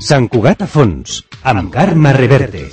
Sant Cugat a fons, amb Carme Reverte.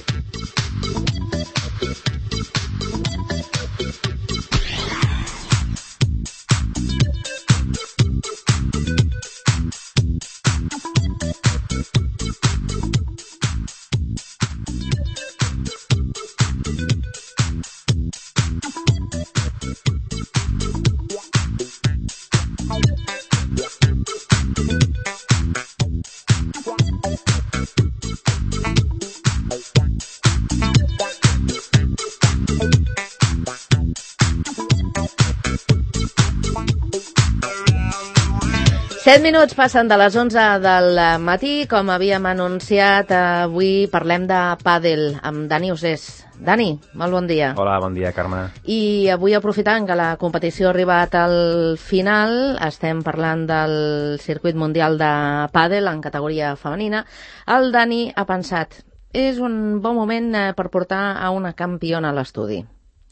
Set minuts passen de les 11 del matí. Com havíem anunciat, avui parlem de pàdel amb Dani Usés. Dani, molt bon dia. Hola, bon dia, Carme. I avui, aprofitant que la competició ha arribat al final, estem parlant del circuit mundial de pàdel en categoria femenina. El Dani ha pensat, és un bon moment per portar a una campiona a l'estudi.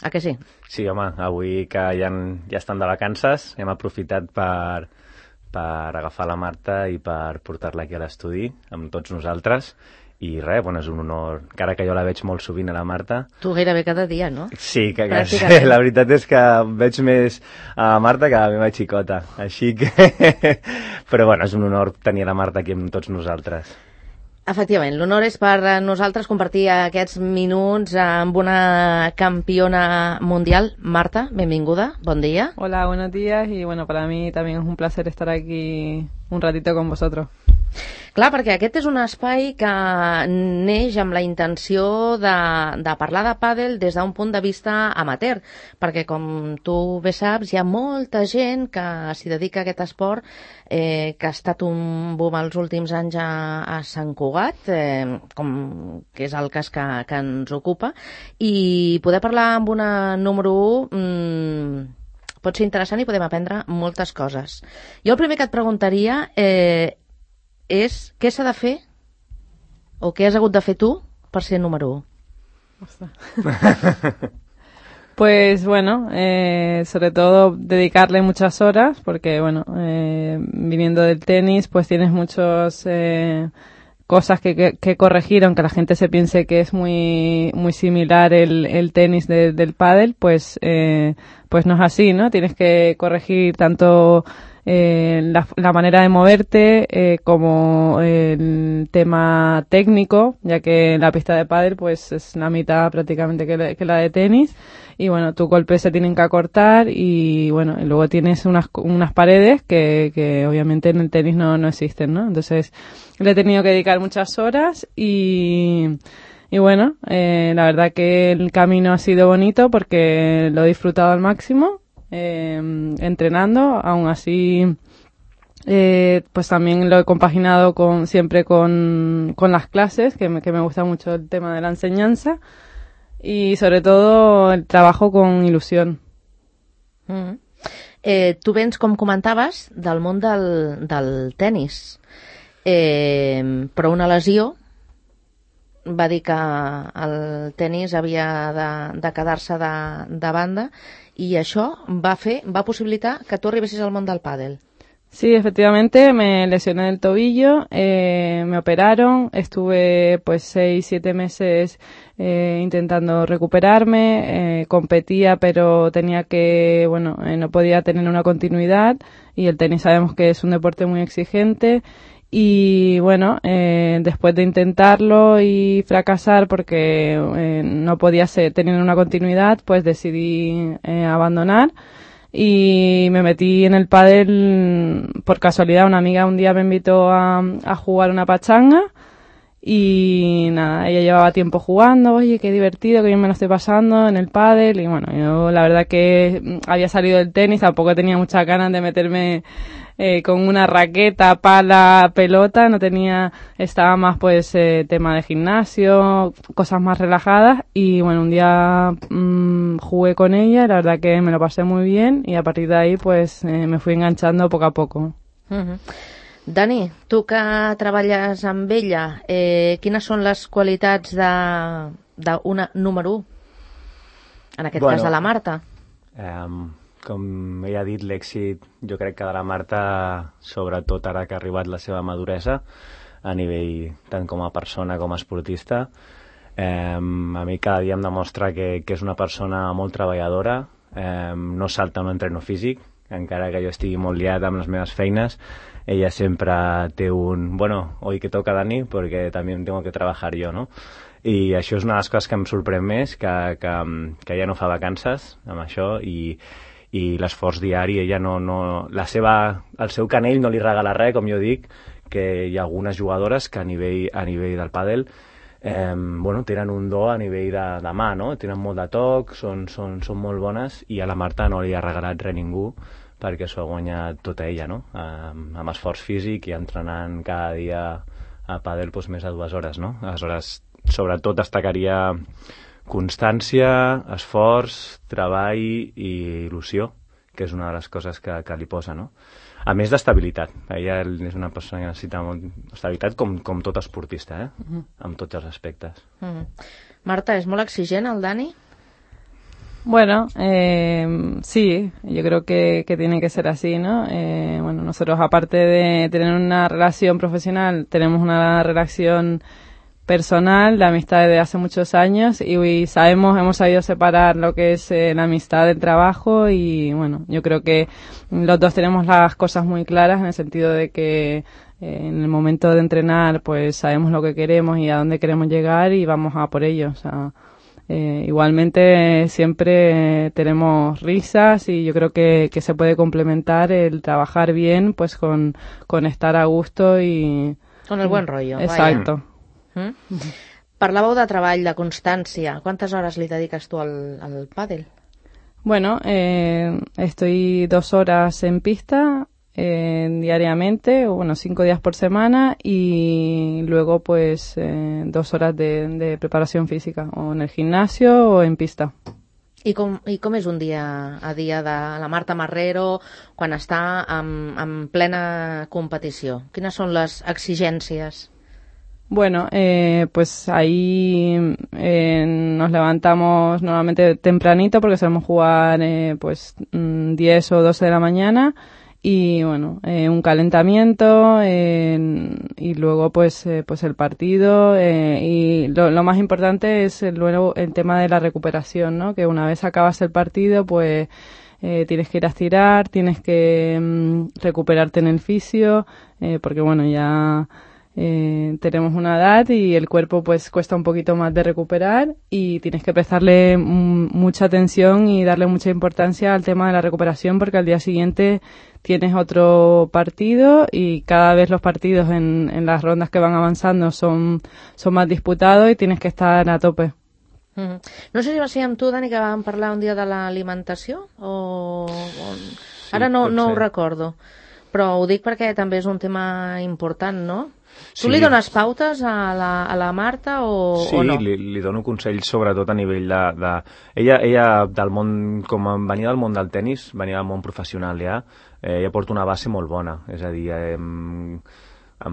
A que sí? Sí, home, avui que ja estan de vacances, hem aprofitat per agafar la Marta i per portar-la aquí a l'estudi amb tots nosaltres. I res, bueno, és un honor, encara que jo la veig molt sovint a la Marta. Tu gairebé cada dia, no? Sí, que la veritat és que veig més a la Marta que a la meva xicota, així que... Però bueno, és un honor tenir la Marta aquí amb tots nosaltres. Efectivament, l'honor és per nosaltres compartir aquests minuts amb una campiona mundial. Marta, benvinguda, bon día. Hola, buenos días y bueno, para mí también es un placer estar aquí un ratito con vosotros. Clar, perquè aquest és un espai que neix amb la intenció de parlar de pàdel des d'un punt de vista amateur, perquè com tu bé saps, hi ha molta gent que s'hi dedica a aquest esport, que ha estat un boom els últims anys a Sant Cugat, com que és el cas que ens ocupa, i poder parlar amb una número 1 pot ser interessant i podem aprendre moltes coses. Jo el primer que et preguntaria és què s'ha de fer o què has hagut de fer tu per ser número 1? Pues bueno, sobre todo dedicarle muchas horas porque bueno, viniendo del tenis pues tienes muchas cosas que corregir, aunque la gente se piense que es muy similar el tenis del pádel, pues no es así, ¿no? Tienes que corregir tanto la manera de moverte como el tema técnico, ya que la pista de pádel pues es la mitad prácticamente que la de tenis, y bueno, tus golpes se tienen que acortar y bueno, y luego tienes unas paredes que obviamente en el tenis no existen, ¿no? Entonces le he tenido que dedicar muchas horas y bueno, la verdad que el camino ha sido bonito porque lo he disfrutado al máximo. Entrenando, aún así pues también lo he compaginado siempre con las clases, que me gusta mucho el tema de la enseñanza y sobre todo el trabajo con ilusión. Tu vens, com comentaves, del món del tenis, però una lesió va dir que el tenis havia de quedar-se de banda y això va possibilitar que tú arribessis al món del pádel. Sí, efectivamente, me lesioné el tobillo, me operaron, estuve pues 6-7 meses intentando recuperarme, competía pero tenía que, bueno, no podía tener una continuidad y el tenis sabemos que es un deporte muy exigente. Y bueno, después de intentarlo y fracasar porque no podía tener una continuidad, pues decidí abandonar y me metí en el pádel por casualidad. Una amiga un día me invitó a jugar una pachanga y nada, ella llevaba tiempo jugando, oye, qué divertido, que bien me lo estoy pasando en el pádel, y bueno, yo la verdad que había salido del tenis, tampoco tenía muchas ganas de meterme con una raqueta, pala, pelota, estaba más pues tema de gimnasio, cosas más relajadas, y bueno, un día jugué con ella, la verdad que me lo pasé muy bien y a partir de ahí pues me fui enganchando poco a poco. Dani, tu que treballes amb ella, quines són les qualitats d'una número 1? En aquest cas de la Marta. Com ella ha dit, l'èxit jo crec que de la Marta, sobretot ara que ha arribat la seva maduresa, a nivell tant com a persona com a esportista. A mi cada dia em demostra que és una persona molt treballadora, no salta un entreno físic, encara que jo estigui molt liat amb les meves feines. Ella sempre té un, bueno, hoy que toca Dani, porque también tengo que trabajar yo, ¿no? I això és una de les coses que em sorprèn més, que ella no fa vacances amb això, i l'esforç diari, ella el seu canell no li regala res, com jo dic, que hi ha algunes jugadores que a nivell del pàdel tenen un do a nivell de mà, no? Tenen molt de toc, són molt bones, i a la Marta no li ha regalat res ningú, perquè s'ho ha guanyat tota ella, no? Amb esforç físic i entrenant cada dia a pàdel més de 2 hores, no? Aleshores, sobretot destacaria constància, esforç, treball i il·lusió, que és una de les coses que li posa, no? A més d'estabilitat. Ella és una persona que necessita molt estabilitat, com tot esportista, en tots els aspectes. Marta, ¿es molt exigent el Dani? Bueno, sí, yo creo que tiene que ser así, ¿no? Bueno, nosotros aparte de tener una relación profesional, tenemos una relación personal, de amistad desde hace muchos años, y hemos sabido separar lo que es la amistad del trabajo, y bueno, yo creo que los dos tenemos las cosas muy claras en el sentido de que en el momento de entrenar pues sabemos lo que queremos y a dónde queremos llegar y vamos a por ello, o sea, igualmente siempre tenemos risas y yo creo que se puede complementar el trabajar bien pues con estar a gusto y... Con el buen rollo. Exacto. Parlàveu de treball, de constància. Quantes hores li dediques tu al pàdel? Bueno, estoy 2 horas en pista diariamente, 5 días por semana, y luego pues 2 horas de preparación física, o en el gimnasio o en pista. I com és un dia a dia de la Marta Marrero quan està en plena competició? Quines són les exigències? Bueno, pues ahí nos levantamos normalmente tempranito porque solemos jugar 10 o 12 de la mañana, y bueno, un calentamiento y luego pues el partido, y lo más importante es luego el tema de la recuperación, ¿no? Que una vez acabas el partido pues tienes que ir a estirar, tienes que recuperarte en el fisio, porque bueno, ya tenemos una edad y el cuerpo pues cuesta un poquito más de recuperar, y tienes que prestarle mucha atención y darle mucha importancia al tema de la recuperación, porque al día siguiente tienes otro partido, y cada vez los partidos en las rondas que van avanzando son más disputados y tienes que estar a tope. No sé si va ser amb tu, Dani, que vam parlar un dia de l'alimentació Sí, ara no ho recordo, però ho dic perquè també és un tema important, no? Sí. Tu li dones pautes a la Marta o no? Sí, li dono consells sobretot a nivell de... Ella del món, com venia del món del tennis, venia del món professional ja, ella porta una base molt bona, és a dir, em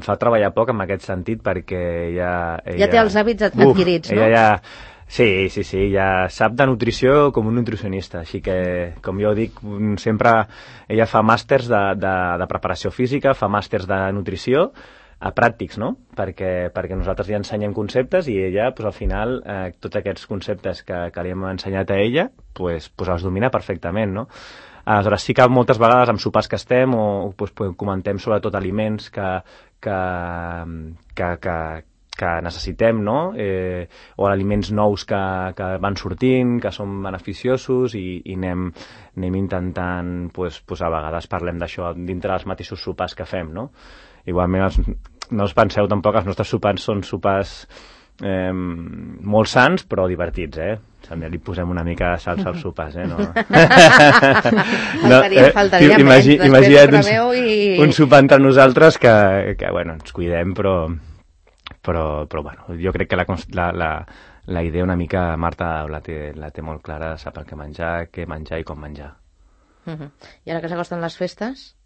fa treballar poc en aquest sentit perquè ella ja té els hàbits adquirits, no? Ella sí, ja sap de nutrició com un nutricionista, així que, com jo dic, sempre ella fa màsters de preparació física, fa màsters de nutrició, a pràctics, no? Perquè nosaltres ja ensenyem conceptes i ella, al final, tots aquests conceptes que li hem ensenyat a ella, els domina perfectament, no? Aleshores, sí que moltes vegades amb sopars que estem o comentem sobretot aliments que necessitem, no? O aliments nous que van sortint, que són beneficiosos, i anem intentant, a vegades parlem d'això dintre dels mateixos sopars que fem, no? Igualment, no us penseu tampoc, els nostres sopars són sopars molt sans, però divertits, També li posem una mica de salsa als sopars, no? Faltaria menys, imagina't un sopar entre nosaltres que ens cuidem, però bueno, jo crec que la idea una mica Marta la té molt clara, sap el que menjar i com menjar. I ara que s'acosten les festes,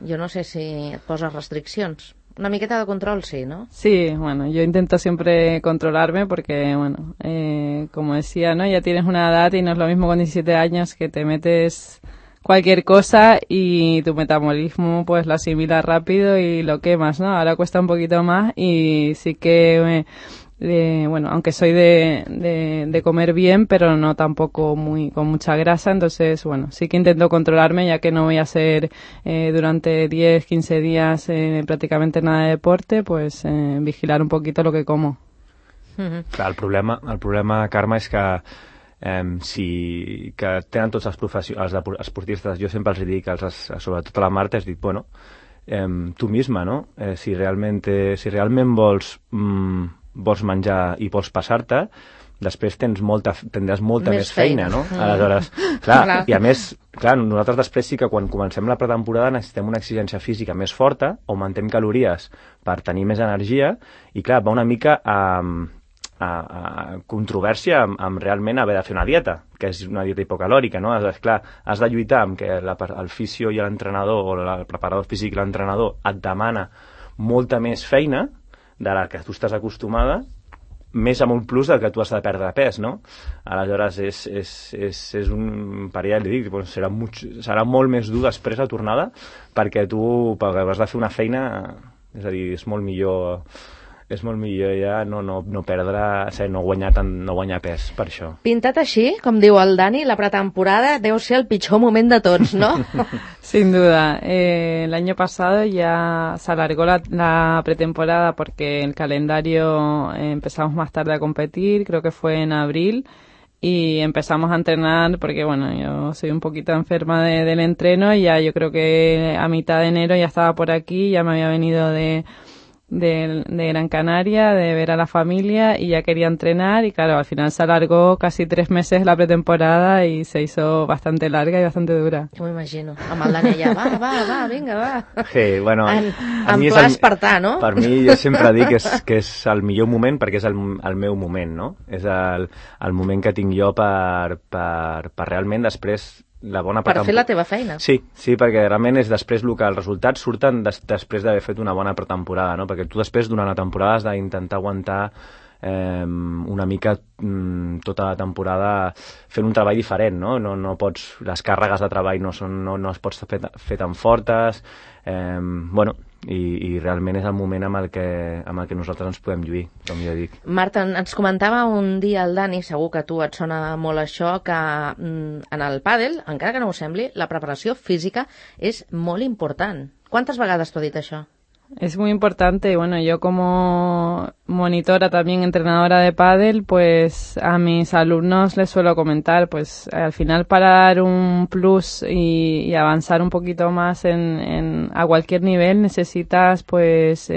jo no sé si et poses restriccions. Una miqueta de control, sí, ¿no? Sí, bueno, yo intento siempre controlarme porque, bueno, como decía, ¿no? Ya tienes una edad y no es lo mismo con 17 años que te metes cualquier cosa y tu metabolismo pues lo asimila rápido y lo quemas, ¿no? Ahora cuesta un poquito más y sí que bueno, aunque soy de comer bien, pero no tampoco con mucha grasa, entonces, bueno, sí que intento controlarme, ya que no voy a hacer durante 10, 15 días prácticamente nada de deporte, pues vigilar un poquito lo que como. Clar, el problema, Carme, és que que tenen tots els esportistes, jo sempre els dic, sobretot a la Marta, has dit, bueno, tu misma, no? Si realment vols menjar i vols passar-te, després tindràs molta més feina, no? Aleshores, clar, i a més, clar, nosaltres després sí que quan comencem la pretemporada necessitem una exigència física més forta, augmentem calories per tenir més energia, i clar, va una mica a controvèrsia amb realment haver de fer una dieta, que és una dieta hipocalòrica, no? Clar, has de lluitar amb que el fisio i l'entrenador, o el preparador físic i l'entrenador et demana molta més feina de la que tu estàs acostumada, més amb un plus del que tu has de perdre pes, no? Aleshores, és un parell, li dic, serà molt més dur després la tornada, perquè has de fer una feina, és a dir, és molt millor ja no perdre, no guanyar pes per això. Pintat així, com diu el Dani, la pretemporada deu ser el pitjor moment de tots, ¿no? Sin duda. El año pasado ya se alargó la pretemporada porque el calendario empezamos más tarde a competir, creo que fue en abril, y empezamos a entrenar porque, bueno, yo soy un poquito enferma del entreno y ya yo creo que a mitad de enero ya estaba por aquí, ya me había venido de Gran Canaria, de ver a la familia, y ya quería entrenar, y claro, al final se alargó casi 3 meses la pretemporada y se hizo bastante larga y bastante dura. M'ho imagino, amb el Dani allà, va, vinga, va. Sí, bueno, en pla espartà, no? Per mi, jo sempre dic que és el millor moment perquè és el meu moment, no? És el moment que tinc jo per realment després la bona per fer la teva feina. Sí, perquè realment és després el que els resultats surten després d'haver fet una bona pretemporada, no? Perquè tu després durant la temporada has d'intentar aguantar una mica tota la temporada fent un treball diferent, no? No pots, les càrregues de treball no es pots fer tan fortes, bueno, i realment és el moment amb el que nosaltres ens podem lluir, com jo dic. Marta, ens comentava un dia el Dani, segur que a tu et sona molt això, que en el pàdel, encara que no ho sembli, la preparació física és molt important. Quantes vegades t'ho ha dit això? Es muy importante y bueno, yo como monitora, también entrenadora de pádel, pues a mis alumnos les suelo comentar, pues al final para dar un plus y avanzar un poquito más a cualquier nivel necesitas pues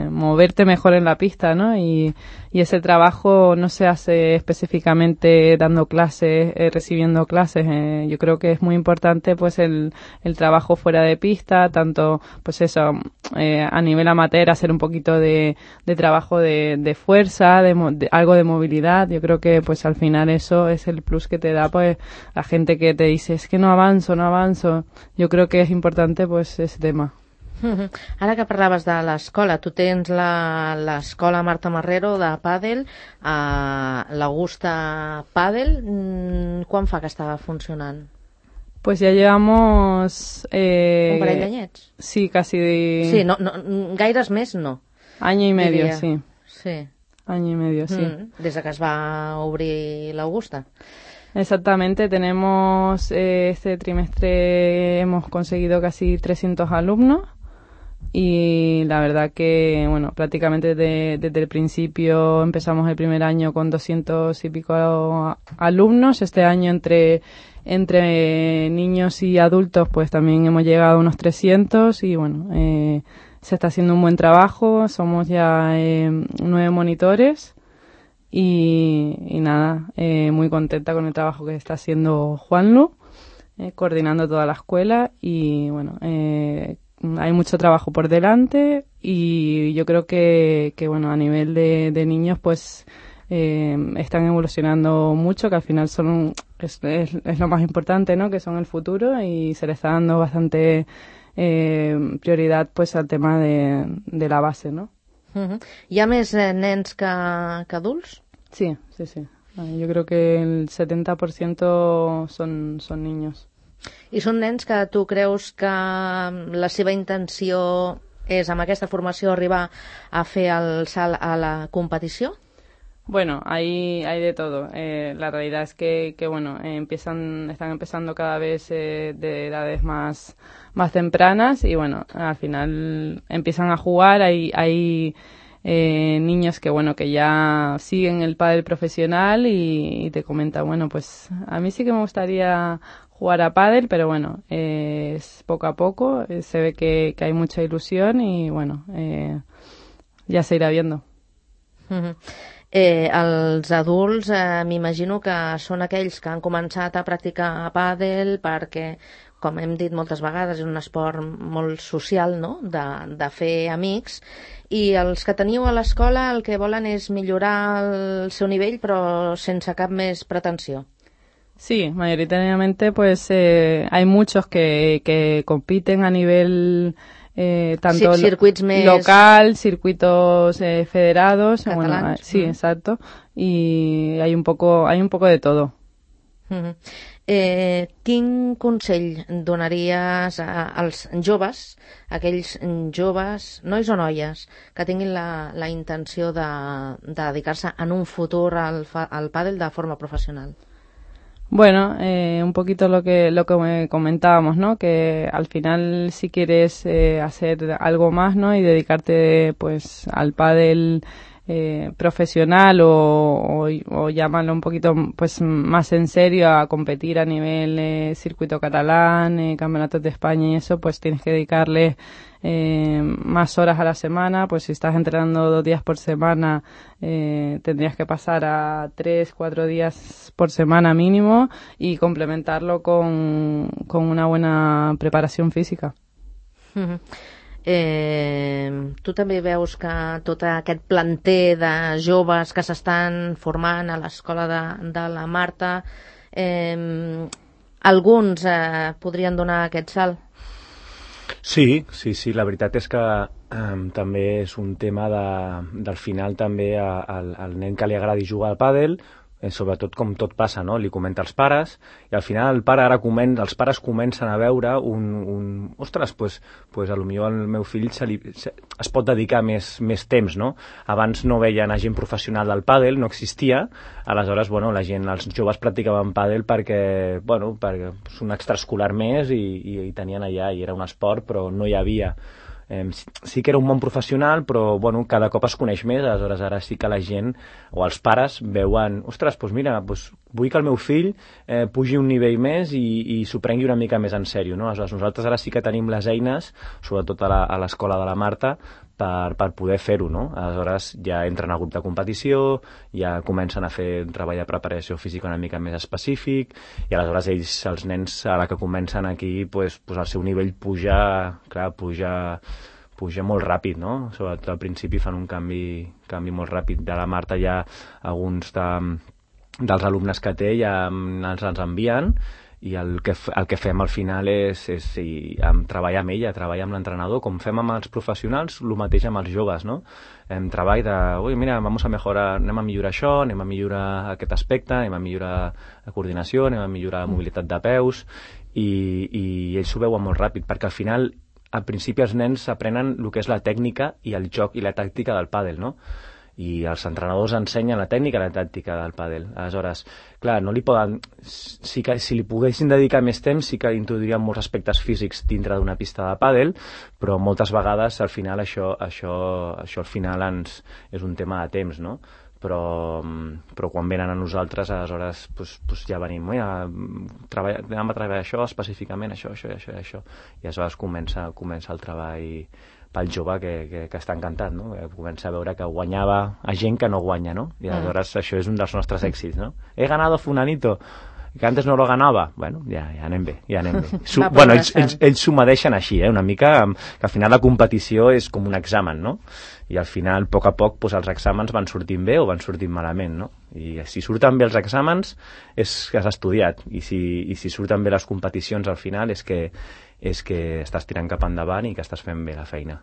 moverte mejor en la pista, ¿no? Y ese trabajo no se hace específicamente dando clases, recibiendo clases. Yo creo que es muy importante pues el trabajo fuera de pista, tanto pues eso, a nivel amateur hacer un poquito de trabajo de fuerza, algo de movilidad. Yo creo que pues al final eso es el plus que te da pues la gente que te dice es que no avanzo. Yo creo que es importante pues ese tema. Ara que parlaves de l'escola, tu tens l'escola Marta Marrero de pàdel, l'Augusta Pàdel, quan fa que estava funcionant? Pues ya llevamos... un parell d'anyets? Sí, casi... Sí, no, gaires més no. Año y medio, diria. sí. Sí. Año y medio, sí. Des que es va obrir l'Augusta. Exactamente, tenemos este trimestre hemos conseguido casi 300 alumnos y la verdad que, bueno, prácticamente desde el principio empezamos el primer año con 200 y pico alumnos. Este año entre niños y adultos pues también hemos llegado a unos 300 y bueno, se está haciendo un buen trabajo, somos ya 9 monitores y nada, muy contenta con el trabajo que está haciendo Juanlu, coordinando toda la escuela y bueno, hay mucho trabajo por delante y yo creo que bueno, a nivel de niños pues están evolucionando mucho, que al final es lo más importante, ¿no? Que son el futuro y se les está dando bastante prioridad pues al tema de la base, ¿no? Hi ha més nens que adults? Sí. Yo creo que el 70% son niños. I són nens que tu creus que la seva intenció és amb aquesta formació arribar a fer el salt a la competició? Bueno, hay de todo. La realidad es que bueno, están empezando cada vez de edades más tempranas y bueno, al final empiezan a jugar. Hay niños que bueno, que ya siguen el pádel profesional y te comentan, bueno, pues a mí sí que me gustaría jugar a pádel, pero bueno, es poco a poco, se ve que hay mucha ilusión y bueno, ya se irá viendo. Uh-huh. Els adults m'imagino que són aquells que han començat a practicar pàdel perquè, com hem dit moltes vegades, és un esport molt social, no?, de fer amics, i els que teniu a l'escola el que volen és millorar el seu nivell però sense cap més pretensió. Sí, mayoritariamente pues hay muchos que compiten a nivel tanto circuits més local, circuitos federados, catalans. Bueno, sí, exacto, y hay un poco de todo. Uh-huh. Quin consell donaries als joves, aquells joves, nois o noies, que tinguin la intenció de dedicar-se en un futur al pàdel de forma professional? Bueno, un poquito lo que comentábamos, ¿no? Que al final si quieres hacer algo más, ¿no? Y dedicarte pues al pádel profesional o llamarlo un poquito pues más en serio a competir a nivel circuito catalán, campeonatos de España y eso, pues tienes que dedicarle más horas a la semana. Pues si estás entrenando 2 días por semana, tendrías que pasar a 3-4 días por semana mínimo y complementarlo con una buena preparación física. Uh-huh. Tu també veus que tot aquest planter de joves que s'estan formant a l'escola de la Marta, alguns podrien donar aquest salt? Sí, la veritat és que també és un tema del final també al nen que li agradi jugar al pàdel, sobretot com tot passa, no? Li comenta als pares i al final els pares comencen a veure ostres, pues a lo millor al meu fill es pot dedicar més temps, no? Abans no veien a gent professional del pàdel, no existia, aleshores, bueno, els joves practicaven pàdel perquè és un extraescolar més i tenien allà, i era un esport, però no hi havia. Sí que era un món professional, però bueno, cada cop es coneix més, aleshores ara sí que la gent o els pares veuen, ostres, doncs mira, vull que el meu fill pugi un nivell més i s'ho prengui una mica més en sèrio, no? Aleshores nosaltres ara sí que tenim les eines, sobretot a l'escola de la Marta, per poder fer-ho, no? Aleshores ja entren al grup de competició, ja comencen a fer un treball de preparació física una mica més específic, i aleshores els nens, a la que comencen aquí, pues el seu nivell puja molt ràpid, no? Sobretot al principi fan un canvi molt ràpid. De la Marta ja alguns dels alumnes que té ja ens envien, i el que fem al final és treballar amb ella, treballar amb l'entrenador, com fem amb els professionals, el mateix amb els joves, no? Treball mira, anem a millorar això, anem a millorar aquest aspecte, anem a millorar la coordinació, anem a millorar la mobilitat de peus, i ells ho veuen molt ràpid, perquè al final, al principi els nens aprenen el que és la tècnica i el joc i la tàctica del pàdel, no? I els entrenadors ensenyen la tècnica i la tàctica del pàdel. Aleshores, clar, no li poden... Si li poguessin dedicar més temps, sí que introduirien molts aspectes físics dintre d'una pista de pàdel, però moltes vegades al final això al final és un tema de temps, no? Però quan venen a nosaltres, aleshores ja venim, anem a treballar això específicament, això, i aleshores comença el treball pel jove que està encantat, no? Comença a veure que guanyava a gent que no guanya, no? I aleshores això és un dels nostres èxits, no? He ganado fulanito, que antes no lo ganava. Bueno, ja anem bé. Bueno, ells s'ho medeixen així, una mica, que al final la competició és com un examen, no? I al final, a poc, els exàmens van sortint bé o van sortint malament, no? I si surten bé els exàmens és que has estudiat, i si surten bé les competicions al final és que estàs tirant cap endavant i que estàs fent bé la feina.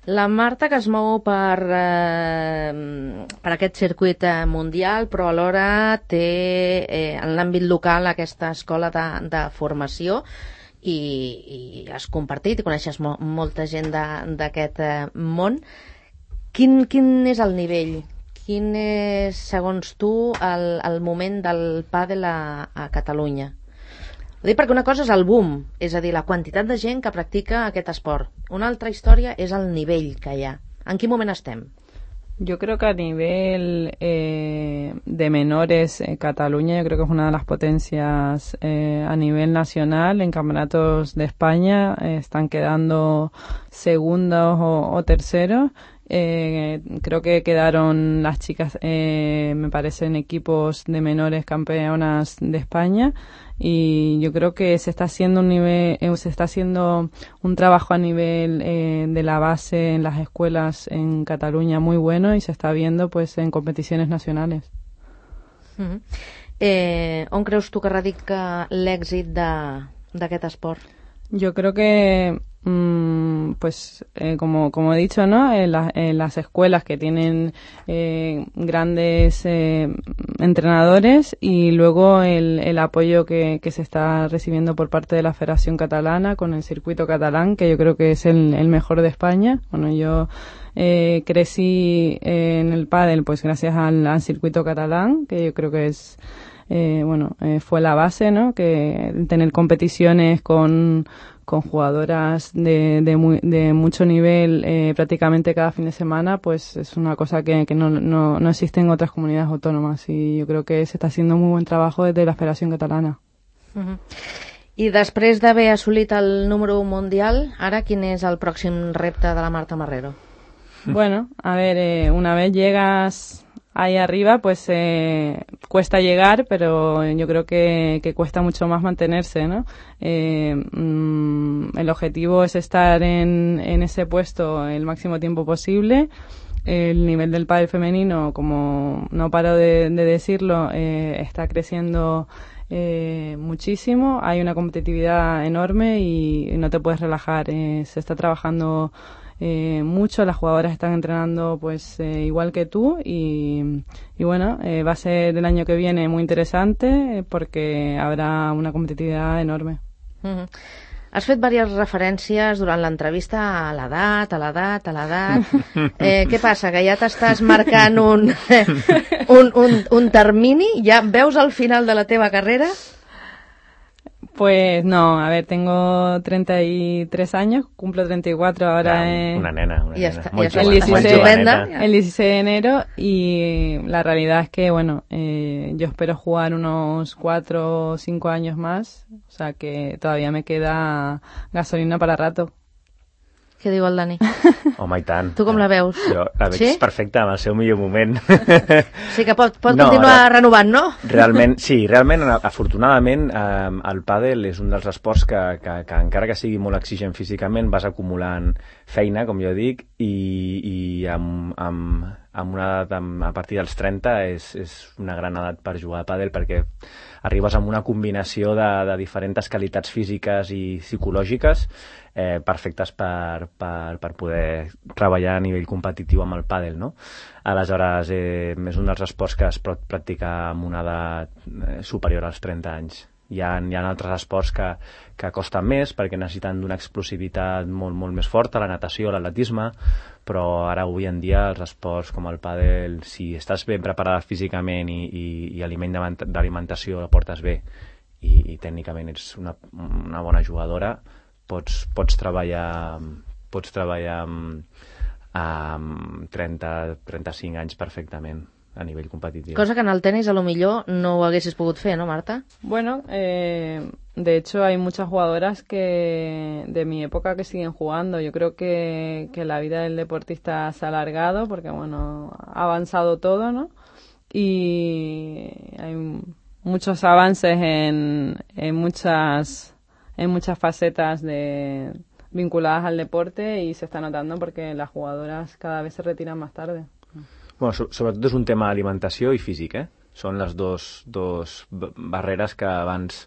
La Marta, que es mou per aquest circuit mundial, però alhora té en l'àmbit local aquesta escola de formació i has compartit i coneixes molta gent d'aquest món. Quin és el nivell? Quin és, segons tu, el moment del pàdel a Catalunya? Ho dic perquè una cosa és el boom, és a dir, la quantitat de gent que practica aquest esport. Una altra història és el nivell que hi ha. En quin moment estem? Yo creo que a nivel de menores, Cataluña yo creo que es una de las potencias a nivel nacional. En campeonatos de España están quedando segundos o terceros. Creo que quedaron las chicas, me parece, en equipos de menores campeonas de España, y yo creo que se está haciendo un trabajo a nivel de la base en las escuelas en Cataluña muy bueno, y se está viendo pues en competiciones nacionales. On creus tu que radica l'èxit d'aquest esport? Yo creo que como he dicho, ¿no? En las escuelas que tienen grandes entrenadores, y luego el apoyo que se está recibiendo por parte de la Federación Catalana con el circuito catalán, que yo creo que es el mejor de España. Bueno, yo crecí en el pádel pues gracias al circuito catalán, que yo creo que es fue la base, ¿no? Que tener competiciones con jugadoras de mucho nivel prácticamente cada fin de semana, pues es una cosa que no existe en otras comunidades autónomas, y yo creo que se está haciendo muy buen trabajo desde la Federación Catalana. I després d'haver assolit el número 1 mundial, ara quin és el pròxim repte de la Marta Marrero? Bueno, a ver, una vez llegas ahí arriba, pues cuesta llegar, pero yo creo que cuesta mucho más mantenerse, ¿no? El objetivo es estar en ese puesto el máximo tiempo posible. El nivel del pádel femenino, como no paro de decirlo, está creciendo muchísimo. Hay una competitividad enorme y no te puedes relajar. Se está trabajando mucho, las jugadoras están entrenando pues igual que tú, y bueno, va a ser el año que viene muy interesante porque habrá una competitividad enorme. Has fet diverses referències durant l'entrevista a l'edat. Què passa, que ja t'estàs marcant un termini? Ja veus el final de la teva carrera? Pues no, a ver, tengo 33 años, cumplo 34 ahora. Una nena. Ya está, Muy ya joven, está. muy joveneta. El 16 de enero, y la realidad es que, bueno, yo espero jugar unos 4 o 5 años más, o sea que todavía me queda gasolina para rato. Què diu el Dani? Home, i tant. Tu com la veus? Jo la veig perfecta, en el seu millor moment. Sí que pot continuar renovant, no? Realment, afortunadament, el pàdel és un dels esports que encara que sigui molt exigent físicament, vas acumulant feina, com jo dic, i amb una edat a partir dels 30 és una gran edat per jugar a pàdel, perquè arribes amb una combinació de diferents qualitats físiques i psicològiques perfectes per poder treballar a nivell competitiu amb el pàdel, no? Aleshores, és un dels esports que es pot practicar amb una edat superior als 30 anys. Hi ha altres esports que costen més perquè necessiten d'una explosivitat molt més forta, la natació, l'atletisme, però ara avui en dia els esports com el pàdel, si estàs ben preparada físicament i d'alimentació la portes bé i tècnicament ets una bona jugadora, pots treballar amb 30-35 anys perfectament a nivell competitiu. Cosa que en el tenis a lo millor no ho haguessis pogut fer, ¿no, Marta? Bueno, de hecho hay muchas jugadoras de mi época que siguen jugando. Yo creo que la vida del deportista se ha alargado porque, bueno, ha avanzado todo, ¿no? Y hay muchos avances en muchas facetas vinculadas al deporte, y se está notando porque las jugadoras cada vez se retiran más tarde. Bueno, sobretot és un tema d'alimentació i físic, Són les dos barreres que abans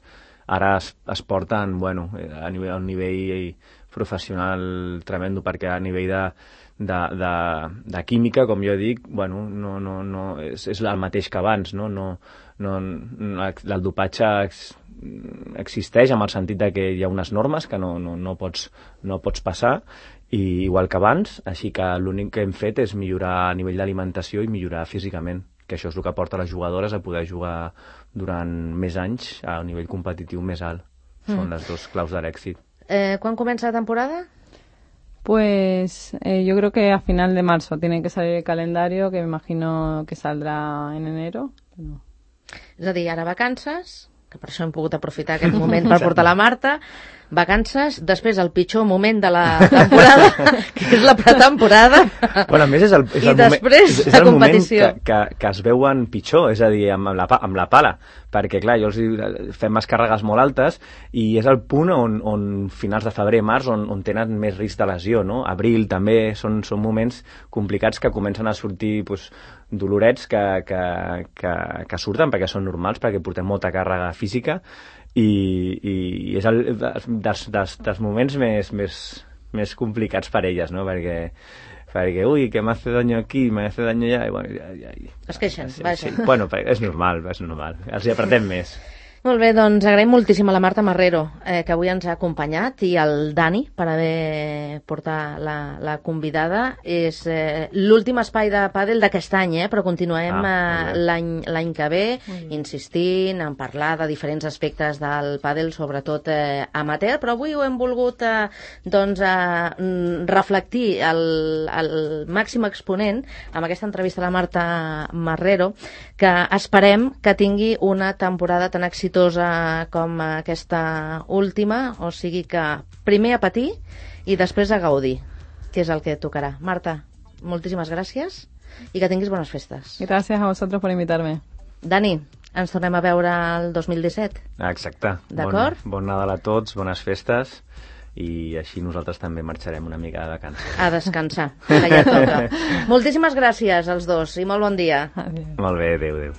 ara es porten, bueno, a un nivell professional tremendo, perquè a nivell de química, com jo dic, bueno, no és el mateix que abans, no? El dopatge existeix en el sentit de que hi ha unes normes que no pots passar, i igual que abans, així que l'únic que hem fet és millorar a nivell d'alimentació i millorar físicament, que això és el que porta les jugadores a poder jugar durant més anys a un nivell competitiu més alt. Són les dos claus de l'èxit. ¿Quan comença la temporada? Pues yo creo que a final de marzo tiene que salir el calendario, que me imagino que saldrà en enero. Pero... És a dir, ara vacances, que per això hem pogut aprofitar aquest moment per portar la Marta, vacances, després el pitjor moment de la temporada, que és la pretemporada, bueno, a més és el després és la el competició. Moment que es veuen pitjor, és a dir, amb la pala, perquè clar, jo fem les càrregues molt altes i és el punt on finals de febrer, març, on tenen més risc de lesió, no? Abril també són moments complicats que comencen a sortir dolorets que surten perquè són normals, perquè portem molta càrrega física, i és dels moments més complicats per elles, no? Perquè ui, que m'hace daño aquí, m'hace daño allà, i bueno, ja. Es queixen, vaja. Sí, bueno, és normal, els hi apretem més. Molt bé, doncs agraïm moltíssim a la Marta Marrero, que avui ens ha acompanyat, i al Dani per haver portat la convidada. És l'últim espai de pàdel d'aquest any, però continuem l'any que ve, insistint en parlar de diferents aspectes del pàdel, sobretot amateur, però avui ho hem volgut reflectir el màxim exponent amb aquesta entrevista a la Marta Marrero, que esperem que tingui una temporada tan exitosa com aquesta última, o sigui que primer a patir i després a gaudir, que és el que tocarà. Marta, moltíssimes gràcies i que tinguis bones festes. Gracias a vosotros por invitarme. Dani, ens tornem a veure el 2017. Exacte. D'acord? Bon Nadal a tots, bones festes, i així nosaltres també marxarem una mica de vacances. A descansar, que ja toca. Moltíssimes gràcies als dos i molt bon dia. Adiós. Molt bé, adéu.